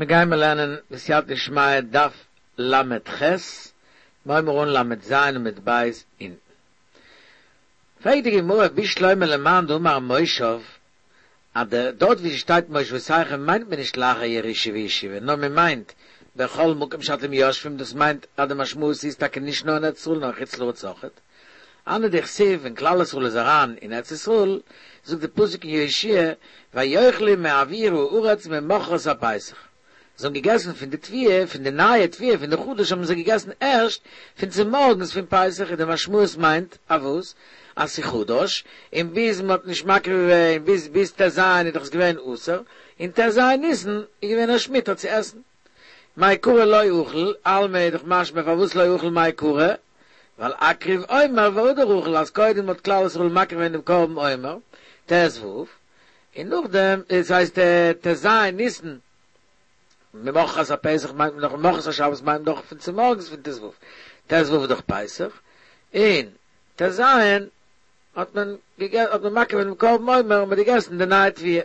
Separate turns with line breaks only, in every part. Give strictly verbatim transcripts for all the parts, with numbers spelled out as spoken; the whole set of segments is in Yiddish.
מיר גיימער לערנען בסייעתא דשמיא דף ל"ח, מ'הייבן אן ל"ז עמוד ב' אונטן. פרעגט די גמרא בשלמא למאן דאמר מושב, אז דארט ווי ס'שטייט מושבותיכם מיינט מען נישט לאחר ירושה וישיבה, נאר מען מיינט בכל מקום שאתם יושבים, דאס מיינט אז די משמעות איז טאקע נישט נאר אין ארץ ישראל נאר אין חוץ לארץ אויכעט. הני דכתיב ווען כלל ישראל איז אריין אין ארץ ישראל, זאגט די פסוק אין יהושע ויאכלו מעביר הארץ ממחרת הפסח, זיי האבן געגעסן פון די תבואה, פון די נייע תבואה, פון די חדש האבן זיי געגעסן ערשט פון צומארגנס פון פסח, איז די משמעות מיינט אויף וואס? אז ס'איז חדש, און ביז מ'האט נישט מקריב געווען, ביז ביז ט"ז איז דאך עס געווען אסור, און ט"ז ניסן איז געווען ערשט מותר צו עסן. מעיקרא לא אכל, אלמא איז דאך משמע פארוואס לא אכל מעיקרא, ווייל אקריב עומר והדר אכל, אז קודם האט כלל ישראל מקריב געווען דעם קרבן עומר, ט"ו, און נאכדעם, דאס הייסט ט"ז ניסן, ממחרת הפסח מיינט מען דאך ממחרת השבת מיינט מען דאך פון צומארגנס פון ט"ו, ט"ו איז דאך פסח, און ט"ז האט מען האט מען מקריב געווען דעם קרבן עומר און מען האט געגעסן די נייע תבואה.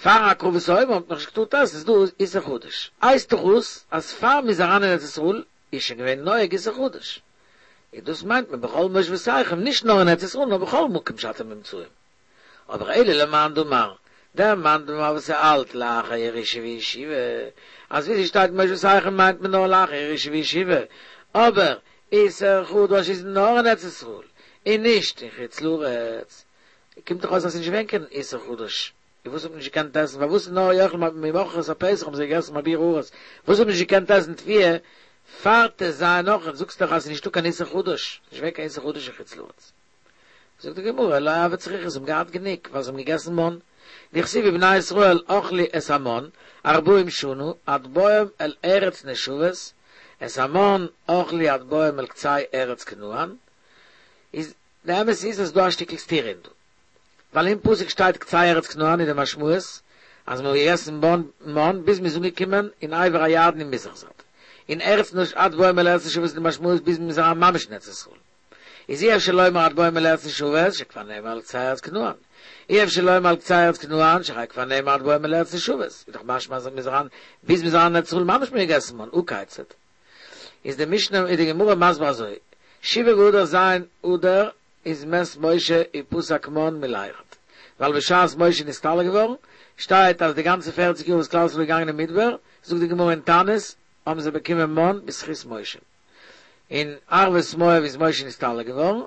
פאר הקרבת העומר האט מען נאכנישט געטארט עסן, איז דא איסור חדש. הייסט דאך אויס אז פאר מען איז אריין אין ארץ ישראל איז שוין געווען נוהג איסור חדש. איז דאס מיינט מען בכל מושבותיכם נישט נאר אין ארץ ישראל נאר בכל מקום שאתם נמצאים. אבער אלא למאן דאמר, דער מאן דאמר וואס ער האלט לאחר ירושה וישיבה, אז ווי ס'שטייט מושבותיכם מיינט מען נאר לאחר ירושה וישיבה, אבער איסור חדש איז נאר אין ארץ ישראל און נישט אין חוץ לארץ, קומט דאך אויס אז ס'איז נישט געווען קיין איסור חדש, און וואס האט מען נישט געקענט עסן, פארוואס נאר יאכלו ממחרת הפסח האבן זיי געגעסן מעביר הארץ, וואס האט מען נישט געקענט עסן תבואה פאר ט"ז נאך, זאגסט דאך אז ס'איז נישטא קיין איסור חדש, נישט געווען קיין איסור חדש אין חוץ לארץ. זאגט די גמרא, לא הוו צריכי, זיי האבן געהאט גענוג, ווייל זיי האבן געגעסן מן. דכתיב ובני ישראל אכלו את המן ארבעים שנה עד בואם אל ארץ נושבת, את המן אכלו עד בואם אל קצה ארץ כנען, איז די אמת איז אז ס'דא א שטיקל סתירה אין דא, ווייל אין פסוק שטייט קצה ארץ כנען איז די משמעות אז מ'האט געגעסן מן ביז מ'איז אנגעקומען אין עבר הירדן אין מזרח זייט, און ארץ נוש עד בואם אל ארץ נושבת איז די משמעות ביז מ'איז אריין ממש אין ארץ ישראל. איז אי אפשר לומר עד בואם אל ארץ נושבת שכבר נאמר על קצה ארץ כנען, אי אפשר לומר על קצה ארץ כנען שהרי כבר נאמר עד בואם אל ארץ נושבת, איז דאך משמע אז מ'איז אריין ביז מ'איז אריין אין ארץ ישראל ממש מ'האט געגעסן מן, הא כיצד? איז די משנה איז די גמרא מסביר אזוי, שבעה באדר ז' אדר איז מת משה ופסק מן מלירד, ווייל בשעת משה איז נסתלק געווארן, שטייט אז די גאנצע פערציג יאר וואס כלל ישראל איז געגאנגען אין מדבר, זאגט די גמרא אין תענית, האבן זיי באקומען מן בזכות משה. אין ערבות מואב איז משה נסתלק געווארן,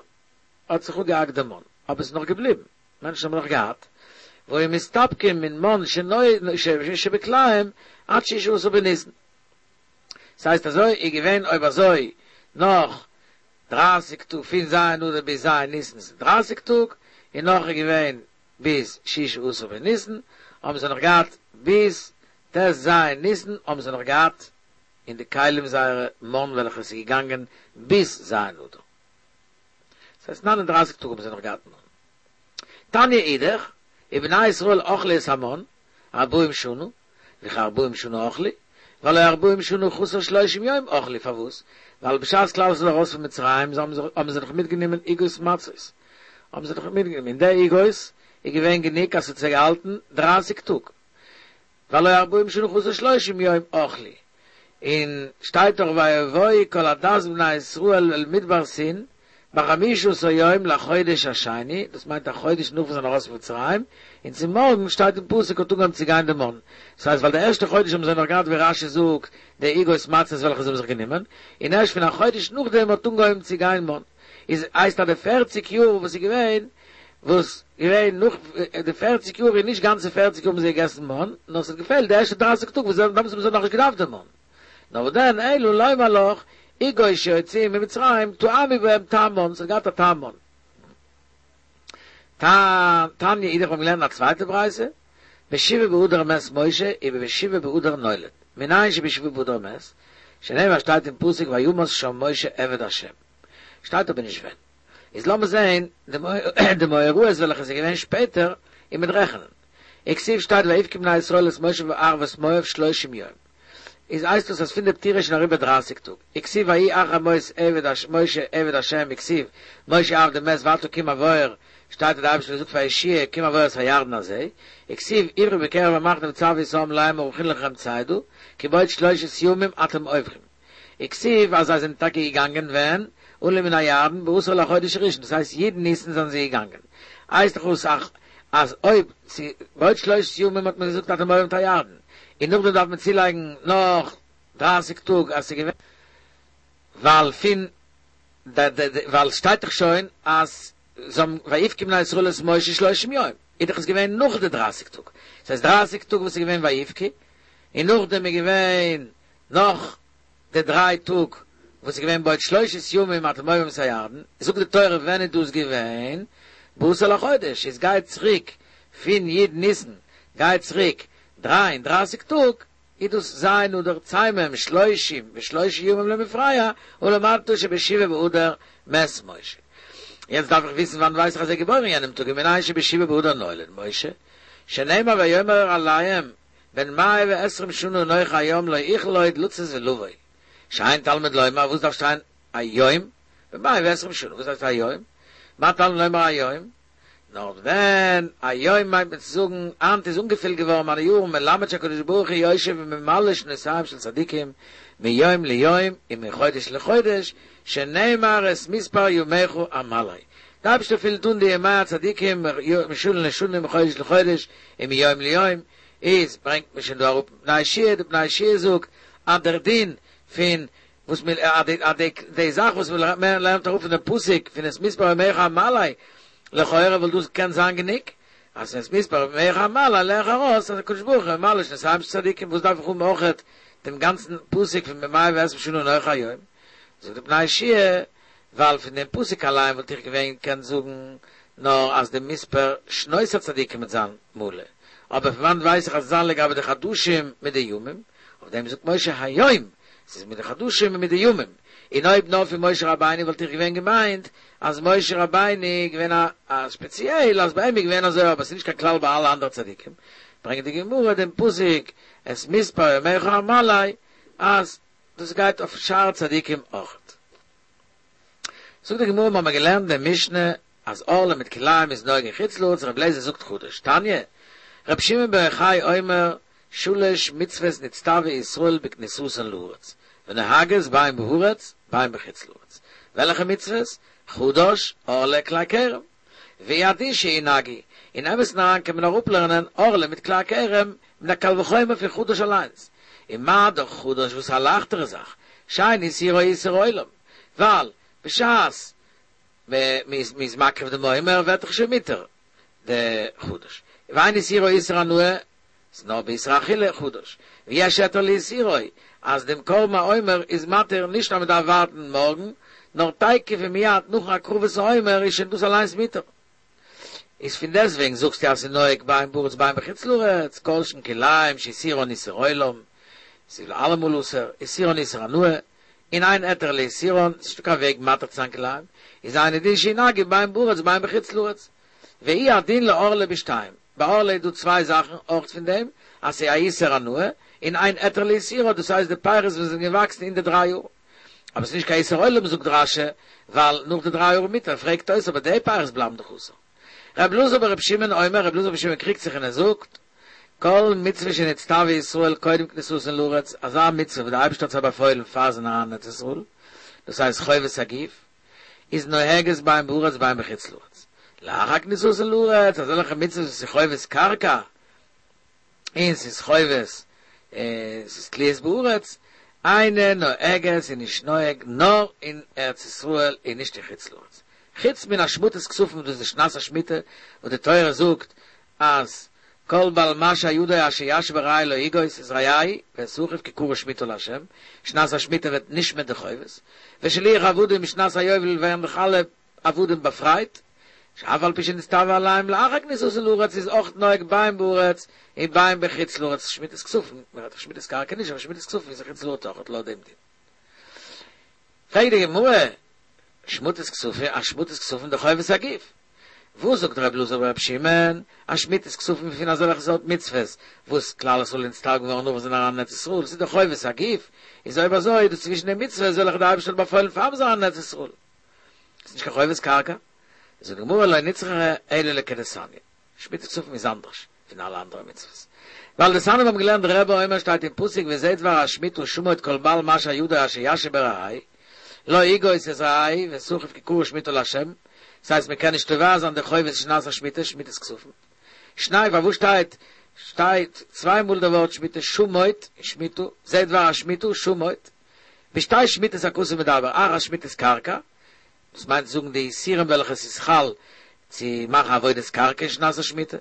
האט זיך אפגעהאקט די מן, אבער עס איז נאך געבליבן, מענטשן האבן נאך געהאט, והיו מסתפקים מן מן שבכליהם עד ששה עשר בניסן. ס'הייסט אזוי איז געווען אויב אזוי נאך דרײַסיק טאג פון ז' אדר ביז ז' ניסן איז דרײַסיק טאג, און נאך איז געווען ביז ששה עשר בניסן, האבן זיי נאך געהאט ביז ט"ז ניסן האבן זיי נאך געהאט אין די כלים זייערע מן וועלכע עס איז געגאנגען ביז ז' אדר. דאס הייסט נײַן און דרײַסיק טאג האבן זיי נאך געהאט מן. תניא אידך, ובני ישראל אכלו את המן ארבעים שנה, וכי ארבעים שנה אכלו, והלא ארבעים שנה חסר שלושים יום אכלו, פארוואס? ווייל בשעת כלל ישראל איז ארויס פון מצרים האבן זיי נאך מיטגענומען עוגות מצות, האבן זיי נאך מיטגענומען, און די עוגות איז געווען גענוג אז ס'האט זיי געהאלטן דרײַסיק טאג. והלא ארבעים שנה חסר שלושים יום אכלו, און שטייט דאך ויבואו כל עדת בני ישראל אל מדבר סין בחמישה עשר יום לחודש השני, דאס מיינט א חודש נאך וואס זיי זענען ארויס פון מצרים, און צו מארגן שטייט אין פסוק האט אנגעהויבן צו גיין די מן, דאס הייסט ווייל די ערשטע חודש האבן זיי נאך געהאט ווי רש"י זאגט די עוגות מצות וועלכע זיי האבן זיך גענומען, און ערשט פון א חודש נאכדעם האט אנגעהויבן צו גיין מן. איז הייסט אז די פערציג יאר וואס איז געווען וואס געווען נאך די פערציג יאר איז נישט גאנצע פערציג יאר האבן זיי געגעסן מן, נאר ס'האט געפעלט די ערשטע דרייסיג טאג וואס דעמאלטס האבן זיי נאכנישט געדארפט די מן. נאר וואס דען אלא לומר לך עוגות שהוציאו ממצרים טעמו בהם טעם מן, ס'האט געהאט א טעם מן. תניא אידך האבן געלערנט א צווייטע ברייתא, בשבעה באדר מת משה ובשבעה באדר נולד, מנין שבשבעה באדר מת, שנאמר שטייט אין פסוק וימת שם משה עבד השם. שטייט אבער נישט ווען. איז לאמיר זעהן די מאורעות וועלכע איז געווען שפעטער און מ'וועט רעכענען. וכתיב שטייט ויבכו בני ישראל את משה בערבות מואב שלושים יום. איז הייסט דאס אז פון די פטירה איז שוין אריבער דרייסיג טאג. וכתיב ויהי אחרי מות עבד משה עבד השם וכתיב משה עבדי מת ועתה קום עבור שטייט דער אייבערשטער זאגט פאר יהושע קום עבור את הירדן הזה, וכתיב עברו בקרב המחנה וצוו את העם לאמר הכינו לכם צידה, כי בעוד שלושת ימים אתם עוברים. וכתיב אז זיי זענען טאקע געגאנגען ווען עלו מן הירדן בעשור לחודש הראשון, דאס הייסט י' ניסן זענען זיי געגאנגען. הייסט דאך אויס אז אויב בעוד שלושת ימים האט מען געזאגט אתם עוברים את הירדן, און נאכדעם דארף מען צולייגן נאך דרײַסיק טאג אז ס'איז געווען ווייל פון ווייל שטייט דאך שוין אז זיי האבן ויבכו בני ישראל את משה שלושים יום, איז דאך עס געווען נאך די דרײַסיק טאג, ס'הייסט דרײַסיק טאג וואס איז געווען ויבכו, און נאכדעם איז געווען נאך די דריי טאג וואס איז געווען בעוד שלושת ימים אתם עוברים את הירדן, זאגט די תורה ווען איז דאס געווען? בעשור לחודש, איז גיי צוריק פון י' ניסן גיי צוריק דרײַ און דרײַסיק טאג, איז דאס ז' אדר צוימם שלושים ושלושה ימים למפרע, ולמדת שבשבעה באדר מת משה. יעצט דארף איך וויסן וואנען ווייס איך אז ער איז געבוירן יענעם טאג ומנין שבשבעה באדר נולד משה, שנאמר ויאמר אליהם בן מאה ועשרים שנה אנכי היום לא אוכל עוד לצאת ולבוא, שאין תלמוד לומר וואס דארף שטיין היום? בן מאה ועשרים שנה וואס הייסט היום? מה תלמוד לומר היום? נאר ווען היום מיינט מען צו זאגן היינט איז אנגעפילט געווארן מיינע יארן מלמד שהקדוש ברוך הוא יושב וממלא שנותיהם של צדיקים מיום ליום ומחודש לחודש שנאמר את מספר ימיך אמלא די אייבערשטער פילט אן די ימי הצדיקים משנה לשנה מחודש לחודש ומיום ליום איז ברענגט מען שוין דא אראפ פני יהושע די פני יהושע זאגט אז דער דין פון וואס מ א די א די די זאך וואס מען לערנט אראפ פון דעם פסוק פון את מספר ימיך אמלא לכאורה וואלט דאס געקענט זיין גענוג אז את מספר ימיך אמלא לערן איך ארויס אז הקדוש ברוך הוא ממלא שנותיהם של צדיקים וואס דארף איך האבן אויכעט דעם גאנצן פסוק פון בן מאה ועשרים שנה אנכי היום זאגט די פני יהושע ווייל פון דעם פסוק אליין וואלט איך געווען געקענט זאגן נאר אז די מספר שנות הצדיקים וועט זיין מלא אבער פון וואנעט ווייס איך אז עס זיין לגבי די חדשים מיט די ימים אויף דעם זאגט משה היום ס'איז מיט די חדשים און מיט די ימים, און אויב נאר פון משה רבינו וואלט איך געווען געמיינט אז משה רבינו איז געווען א א ספעציעל אז ביי אים איז געווען אזוי אבער ס'איז נישט קיין כלל ביי אלע אנדערע צדיקים, ברענגט די גמרא דעם פסוק את מספר ימיך אמלא אז דאס גייט אויף שאר צדיקים אויכעט. זאגט די גמרא מ'האמער געלערנט אין די משנה אז ערלה מיט כלאים איז נוהג אין חוץ לארץ, רבי אליעזר זאגט חדש, תניא, רבי שמעון בר יוחאי אומר, שלש מצוות נצטוו ישראל בכניסתן לארץ, ונוהגות בין בארץ בין בחוץ לארץ. וועלכע מצוות? חדש, ערלה, כלאי כרם. והוא הדין שינהגו, אין אמת'ן אריין קען מען אראפלערנען ערלה מיט כלאי כרם מיט א קל וחומר פון חדש אליינס. און מה דאך חדש וואס איז א לייכטערע זאך, שאין איסורו איסור עולם, ווייל בשעת מ'איז מקריב דעם עומר ווערט דאך שוין מותר די חדש, ואין איסורו איסור הנאה, ס'איז נאר באיסור אכילה חדש, ויש היתר לאיסורו, אז דעם קרבן העומר איז מתיר נישט אז מ'דארף ווארטן מארגן, נאר תיכף ומיד נאכן הקרבת העומר איז שוין דאס אליינס מותר. איז פון דעסטוועגן זאגסטו אז ס'איז נוהג בין בארץ בין בחוץ לארץ, כל שכן כלאים שאיסורן איסור עולם, ס'איז אלעמאל אסור, איסורן איסור הנאה, און אין היתר לאיסורן, ס'איז נישטא קיין וועג מתיר צו זיין כלאים, איז אינו דין שינהגו בין בארץ בין בחוץ לארץ. והוא הדין לערלה בשתיים, ביי ערלה איז דא צוויי זאכן אויך פון דעם אז ס'איז א איסור הנאה, און אין היתר לאיסורה, דאס הייסט די פירות וואס זענען געוואקסן אין די דריי יאר. אבער ס'איז נישט קיין איסור עולם זאגט רש"י, ווייל נאך די דריי יאר מותר, פרעגט תוס' אבער די פירות בלייבן דאך אסור. ר' אלעזר בר' שמעון אומר, ר' אלעזר בר' שמעון קריגט זיך און ער זאגט, כל מצוה שנצטוו ישראל קודם כניסתן לארץ, אזא מצוה וואס דער אייבערשטער האט זיי באפוילן פאר זיי זענען אריין אין ארץ ישראל, דאס הייסט חובת הגוף, איז נוהגת בין בארץ בין בחוץ לארץ. לאחר כניסתן לארץ, אזעלכע מצוות וואס איז חובת קרקע, און ס'איז חובת, ס'איז תלויות בארץ, אינה נוהגת איז נישט נוהג נאר אין ארץ ישראל און נישט אין חוץ לארץ. חוץ מן השמטת כספים דאס איז שנת השמיטה וואס די תורה זאגט אז כל בל משה ידו אשר ישבע ברעהו לא יגוש את רעהו ואת אחיו כי קרוב שמיטה לה', שנת השמיטה ווערט נשמט די חובות, ושילוח עבדים שנת היובל ווערן דאך אלע עבדים באפרייט, שאף על פי שנצטוו עליהם לאחר כניסתן לארץ איז אויך נוהג בין בארץ און בין בחוץ לארץ שמיטת כספים, מ'רעדט דאך שמיטת קרקע נישט אבער שמיטת כספים איז אין חוץ לארץ אויך לויט דעם דין. פרעגט די גמרא, שמטת כספים, א שמטת כספים דחובת הגוף. וואס זאגט ר' אלעזר בר' שמעון, אז שמיטת כספים פון אזעלכע סארט מצוות וואס כלל ישראל איז נצטווה געווארן נאך וואס זענען אריין אין ארץ ישראל, ס'איז דאך חובת הגוף, איז אויב אזוי איז דאס צווישן די מצוות וועלכע דער אייבערשטער האט באפוילן פאר מ'איז אריין אין ארץ ישראל. ס'איז נישט קיין חובת קרקע. זאגט די גמרא לא נצרכה אלא לכדתניא. שמיטת כספים איז אנדערש פון אלע אנדערע מצוות. ווייל דתניא מיר האבן געלערנט רבי אומר שטייט אין פסוק וזה דבר השמיטה שמוט כל בעל משא ידו אשר ישא ברעהו לא יגוש את רעהו ואת אחיו כי קרא שמיטה לה' דאס הייסט מען קען נישט תובע זיין די חובות שנת השמיטה שמיטת כספים. שני פארוואס שטייט שטייט צוויי מאל די ווארט שמיטה שמוט און שמיטה זה דבר השמיטה שמוט בשתי שמיטות הכתוב מדבר אחת שמיטת קרקע דאס מיינט זאגן די איסורים וועלכע עס איז חל צו מאכן עבודת קרקע אין שנת השמיטה,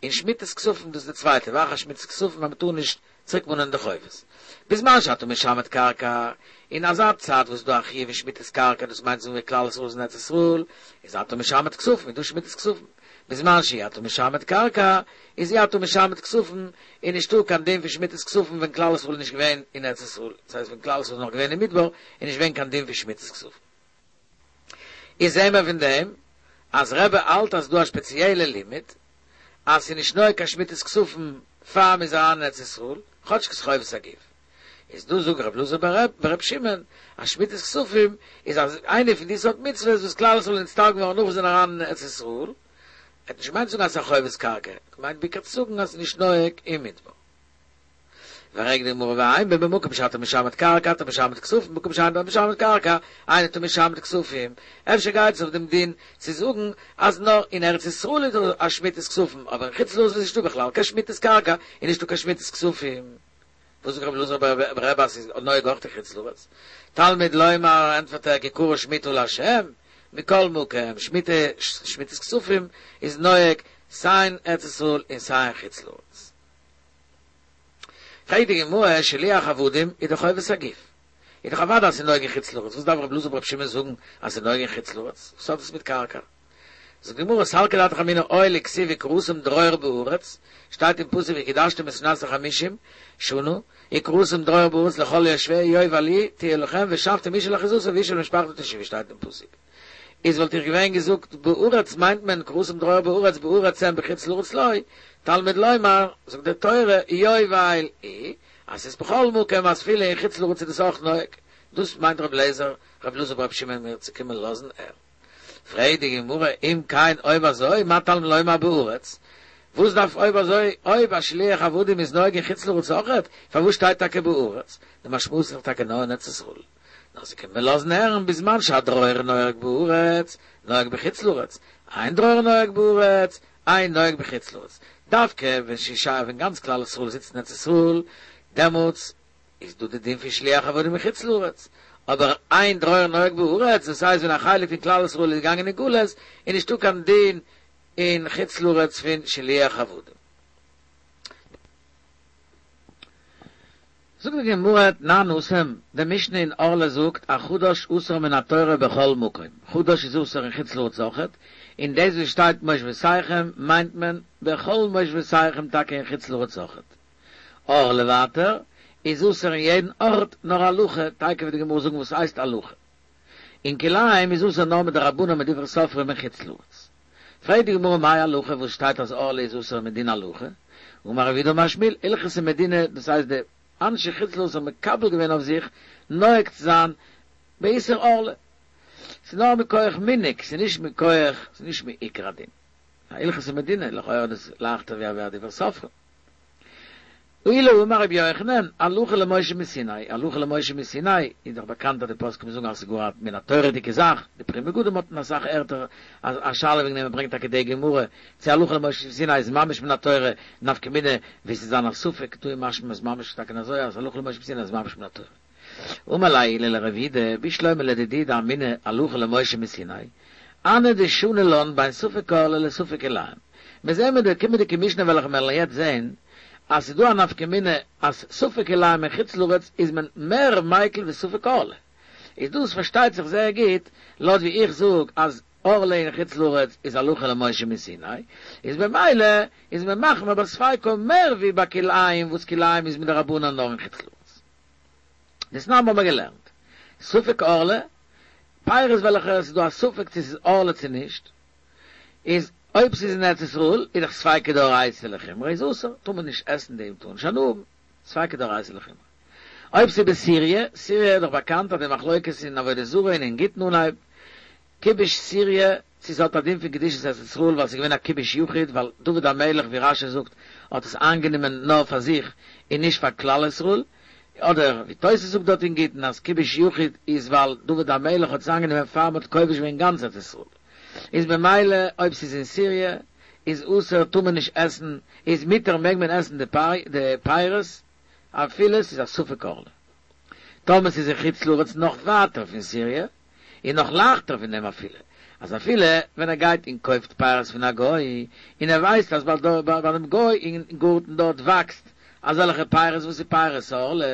און שמיטת כספים דאס איז די צווייטע, ואחת שמיטת כספים אז מען טאר נישט צוריק מאנען די חובות. בזמן שאתה משמט קרקע, אין אזא צייט וואס איז דא א חיוב אין שמיטת קרקע דאס מיינט זאגן ווי כלל ישראל איז אין ארץ ישראל, איז אתה משמט כספים איז דא שמיטת כספים, בזמן שאי אתה משמט קרקע, איז אי אתה משמט כספים, איז נישטא קיין דין פון שמיטת כספים ווען כלל ישראל איז נישט געווען אין ארץ ישראל, דאס הייסט ווען כלל ישראל איז נאך געווען אין מדבר איז נישט געווען קיין דין פון שמיטת כספים. איז זעהן מיר פון דעם אז רבי האלט אז ס'דא א שפעציעלע לימוד אז ס'איז נישט נוהג קיין שמיטת כספים פאר מ'איז אריין אין ארץ ישראל, כאטש ס'איז חובת הגוף. איז דא זאגט רבי אלעזר ברבי שמעון אז שמיטת כספים איז איינע פון די סארט מצוות וואס כלל ישראל איז נצטווה געווארן נאך וואס זיי זענען אריין אין ארץ ישראל, ער האט נישט געמיינט צו זאגן אז ס'איז א חובת קרקע, ער האט געמיינט בעיקר צו זאגן אז ס'איז נישט נוהג אין מדבר. פרעגט די גמרא ואימא במקום שאתה משמט קרקע אתה משמט כספים במקום שאין אתה משמט קרקע אין אתה משמט כספים, אפשר גייט עס אויף דעם דין צו זאגן אז נאר אין ארץ ישראל איז דא א שמיטת כספים אבער אין חוץ לארץ איז נישטא בכלל קיין שמיטת קרקע איז נישטא קיין שמיטת כספים, וואס זאגט רבי אלעזר ברבי אז ס'איז נוהג אויך אין חוץ לארץ? תלמוד לומר ענטפערט ער כי קרא שמיטה לה' מכל מקום שמיטה שמיטת כספים איז נוהג סיי אין ארץ ישראל און סיי אין חוץ לארץ. פרעגט די גמרא, שילוח עבדים איז דאך חובת הגוף, איז דאך אוודאי אז ס'איז נוהג אין חוץ לארץ, וואס דארף רבי אלעזר ברבי שמעון זאגן אז ס'איז נוהג אין חוץ לארץ, וואס האט עס מיט קרקע? זאגט די גמרא, סלקא דעתך אמינא הואיל וכתיב וקראתם דרור בארץ, שטייט אין פסוק וקדשתם את שנת החמישים שנה, וקראתם דרור בארץ לכל יושביה יובל היא תהיה לכם ושבתם איש אל אחוזתו ואיש אל משפחתו תשובו שטייט אין פסוק. איז וואלט איך געווען געזאגט בארץ מיינט מען וקראתם דרור בארץ בארץ אין בחוץ לארץ לא, תלמוד לומר, זאגט די תורה, יובל היא, אז ס'איז בכל מקום אז אפילו אין חוץ לארץ איז דאס אויך נוהג, דאס מיינט רבי אליעזר, רבי אלעזר ברבי שמעון מיר צו קומען לאזן הערן. פרעגט די גמרא, אם כן אויב אזוי מה תלמוד לומר בארץ, וואס דארף אויב אזוי אויב א שילוח עבדים איז נוהג אין חוץ לארץ אויכעט, פארוואס שטייט טאקע בארץ, די משמעות איז דאך טאקע נאר אין ארץ ישראל. נאר ס'קומט מיר לאזן הערן בזמן שהדרור נוהג בארץ, נוהג בחוץ לארץ, אין דרור נוהג בארץ, אין נוהג בחוץ לארץ. דווקא ווען שישה ווען גאנץ כלל ישראל זיצט אין ארץ ישראל, דעמאלטס איז דא די דין פון שילוח עבדים מחוץ לארץ. אבער אין דרור נוהג בארץ, דאס הייסט ווען א חלק פון כלל ישראל איז געגאנגען אין גלות, איז נישטא קיין דין אין חוץ לארץ פון שילוח עבדים. זאגט די גמרא תנן התם, די משנה אין ערלה זאגט החדש אסור מן התורה בכל מקום, חדש איז אסור אין חוץ לארץ אויכעט, און דאס וואס שטייט מושבותיכם מיינט מען בכל מושבותיכם טאקע אין חוץ לארץ אויכעט. ערלה ווייטער איז אסור אין יעדן ארט נאר הלכה, תיכף וועט די גמרא זאגן וואס הייסט הלכה. און כלאים איז אסור נאר מדרבנן מדברי סופרים אין חוץ לארץ. פרעגט די גמרא מאי הלכה וואס שטייט אז ערלה איז אסור מדין הלכה, אמר רב יהודה אמר שמואל הלכתא מדינה דאס הייסט די אנשי חוץ לארץ האבן מקבל געווען אויף זיך נוהג צו זיין באיסור ערלה, ס'איז נאר מכח מנהג ס'איז נישט מכח ס'איז נישט מעיקר הדין, הלכתא מדינה לכאורה איז דאס לייכטער ווי א דברי סופרים. עולא אמר רבי יוחנן, הלכה למשה מסיני, הלכה למשה מסיני, איז דאך באקאנט אז די פוסקים זאגן אז ס'איז גאר א מן התורה'דיגע זאך, די פרי מגדים האט אין אסאך ערטער א שאלה וועגן דעם, ער ברענגט טאקע די גמרא, צו הלכה למשה מסיני איז ממש מן התורה, נפקא מינה ווי ס'איז זיין א ספק, דא איז משמע אז ממש טאקע אזוי אז הלכה למשה מסיני איז ממש מן התורה. אמר ליה עולא לרב יהודה, בשלמא לדידי דאמינא הלכה למשה מסיני, הני דשני לן בין ספק ערלה לספק כלאים. מיר זעהן מיט די קומענדיגע משנה וועלכע מיר וועלן יעצט זעהן, אז ס'איז דא א נפקא מינה אז ספק כלאים אין חוץ לארץ איז מען מער מיקל ווי ספק ערלה. איז דאס פארשטייט זיך זייער גוט, לויט ווי איך זאג אז ערלה אין חוץ לארץ איז הלכה למשה מסיני, איז במילא איז מען מחמיר ביי ספיקו מער ווי ביי כלאים וואס כלאים איז מדרבנן נאר אין חוץ לארץ. דתנן האבן מיר געלערנט ספק ערלה, פירות וועלכע עס איז דא א ספק צו עס איז ערלה צו נישט, איז אויב ס'איז אין ארץ ישראל איז דאך ספיקא דאורייתא לחומרא איז אסור, טאר מען נישט עסן דעם טאר נישט הנאה האבן, ספיקא דאורייתא לחומרא. אויב ס'איז בסיריע, סיריע איז דאך באקאנט אז די מחלוקת אין עבודה זרה און אין גיטין אנהייב כיבוש סיריע, צו ס'האט א דין פון קדושת ארץ ישראל ווייל ס'איז געווען א כיבוש יחיד ווייל דוד המלך ווי רשי זאגט האט עס איינגענומען נאר פאר זיך און נישט פאר כלל ישראל, אדער ווי תוס' זאגט דארט אין גיטין אז כיבוש יחיד איז ווייל דוד המלך האט עס איינגענומען פאר מ'האט כובש געווען גאנץ ארץ ישראל איז במילא אויב ס'איז אין סיריע איז אסור טאר מען נישט עסן איז מותר מעג מען עסן די פירות אפילו ס'איז א ספק ערלה. טאמער ס'איז אין חוץ לארץ נאך ווייטער פון סיריע און נאך לייכטער פון דעם אפילו, אז אפילו ווען ער גייט און קויפט פירות פון א גוי, און ער ווייסט אז ביי דעם גוי אין גארטן דארט וואקסט אזעלכע פירות וואס איז פירות ערלה,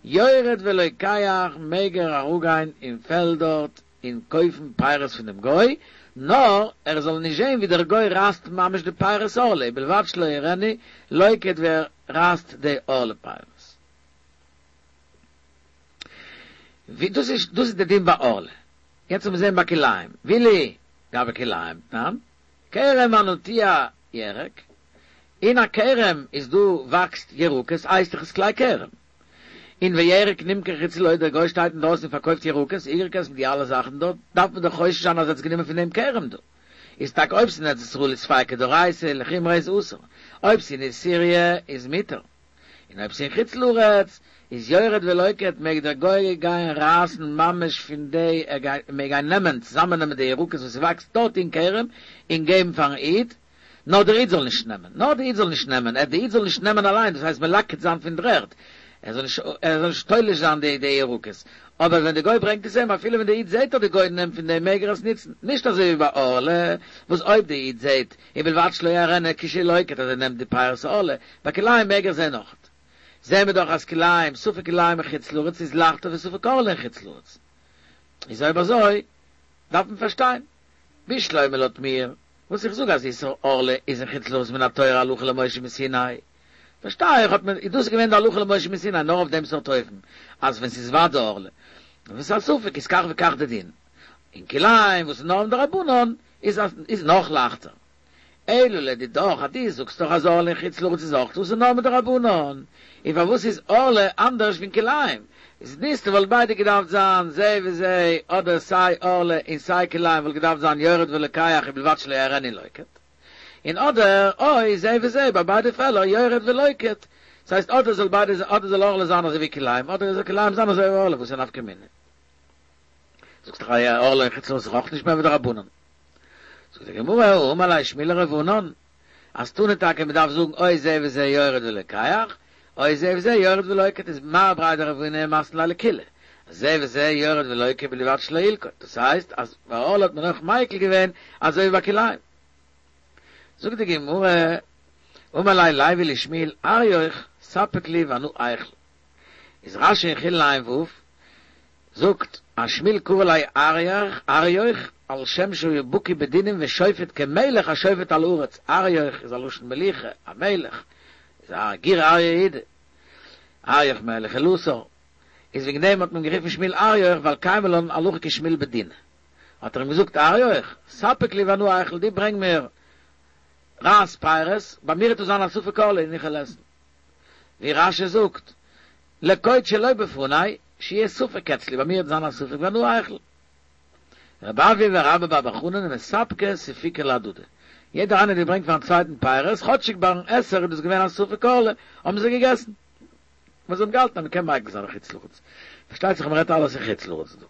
יורד ולוקח מעג ער אראפגיין אין פעלד דארט און קויפן פירות פון דעם גוי, נאר ער זאל נישט זען ווי דער גוי רייסט ממש די פירות ערלה, ובלבד שלא יראנו לוקט ווי ער רייסט די ערלה פירות. ווי דאס איז דאס איז די דין ביי ערלה. יעצט לאמיר זען ביי כלאים. ואילו גבי כלאים תנן, כרם הנוטע ירק, אין א כרם איז דא וואקסט ירקות הייסט דאך עס כלאי כרם. און וירק נמכר חוצה לו דער גוי שטייט אינדרויסן און פארקויפט ירקות, ירקות מיט די אלע זאכן דארט, דארף מען דאך חושש זיין אז ער האט עס גענומען פון דעם כרם דא. איז טאקע אויב ס'איז אין ארץ ישראל איז ספיקא דאורייתא לחומרא איז אסור, אויב ס'איז אין סיריע איז מותר. און אויב ס'אין חוץ לארץ איז יורד ולוקט מעג דער גוי גיין רייסן ממש פון די ער גייט מעג גיין נעמען צוזאמען נעמען די ירקות וואס ס'וואקסט דארט אין כרם און געבן פארן איד נאר דער איד זאל נישט נעמען נאר דער איד זאל נישט נעמען ער דער איד זאל נישט נעמען אליין דאס הייסט מלקט זיין פון דר'ערד ער זאל נישט ער זאל נישט תולש זיין די די ירקות אבער ווען די גוי ברענגט עס אים אפילו ווען די איד זעהט אז די גוי נעמט פון דעם מעג ער עס נוצן נישט אזוי ווי ביי ערלה וואס אויב די איד זעהט ובלבד שלא יראנו כשלוקט אז ער נעמט די פירות ערלה, ביי כלאים מעג ער זעהן אויכעט. זעהן מיר דאך אז כלאים, ספק כלאים אין חוץ לארץ איז לייכטער ווי ספק ערלה אין חוץ לארץ. איז אויב אזוי דארף מען פארשטיין. בשלמא לויט מיר, וואס איך זאג אז איסור ערלה איז אין חוץ לארץ מן התורה הלכה למשה מסיני, פארשטיי איך האט מען, איז דאס געווען די הלכה למשה מסיני נאר אויף דעם סארט אופן, אז ווען ס'איז ודאי ערלה, און ווען ס'איז א ספק איז כך וכך די דין. און כלאים וואס איז נאר מדרבנן איז איז נאך לייכטער. אלא לדידך אז דו זאגסט דאך אז ערלה אין חוץ לארץ איז אויך אסור נאר מדרבנן, און פארוואס איז ערלה אנדערש פון כלאים? איז נישט וואלט ביידע געדארפט זיין זה וזה אדער סיי ערלה און סיי כלאים וואלט געדארפט זיין יורד ולוקח ובלבד שלא יראנו לוקט, און אדער או זה וזה ביי ביידע פעלער יורד ולוקט, ס'הייסט אדער זאל ביידע אדער זאל ערלה זיין אזוי ווי כלאים אדער זאל כלאים זיין אזוי ווי ערלה וואס איז נפקא מינה? זאגסט דאך אז ערלה אין חוץ לארץ איז אויך נישט מער ווי דרבנן. זאגט די גמרא, אמר ליה שמואל לרב ענן, אז תנא טאקע מען דארף זאגן או זה וזה יורד ולוקח, או זה וזה יורד ולוקט איז מר בריה דרב הונא מתני ליה לקולא, זה וזה יורד ולוקט ובלבד שלא ילקוט, דאס הייסט אז ביי ערלה האט מען אויך מיקל געווען אזוי ווי ביי כלאים. זאגט די גמרא, אמר ליה לוי לשמואל אריוך ספק לי ואנא איכול. איז רשי אין חולין ע"ו זאגט אז שמואל קרי ליה אריוך, אריוך, על שם שהיה בקי בדינים ושופט כמלך השופט על הארץ, אריוך איז א לשון מליכה, א מלך, איז א גור אריה יהודה, אריוך מלך אלעשר, איז וועגן דעם האט מען גערופן שמואל אריוך ווייל קיימא לן הלכה כשמואל בדינא. האט ער אים געזאגט אריוך, ספק לי ואנא איכול, דו ברענג מיר רייס פירות, ביי מיר וועט עס זיין א ספק ערלה און איך וועל עסן. ווי רשי זאגט, לקוט שלא בפני, שיהיה ספק אצלי, ביי מיר וועט זיין א ספק ואנא איכול. רבי אבהו ורבה בר בר חנה מספקי ספיקא להדדי. יעדער איינער האט געברענגט פארן צווייטן פירות, כאטשיג ביים עסער איז דאס געווען א ספק ערלה, האבן זיי געגעסן. ווייל זיי האבן געהאלטן אז מען קען מיקל זיין אין חוץ לארץ. פארשטייט זיך מען רעדט אלעס אין חוץ לארץ דא.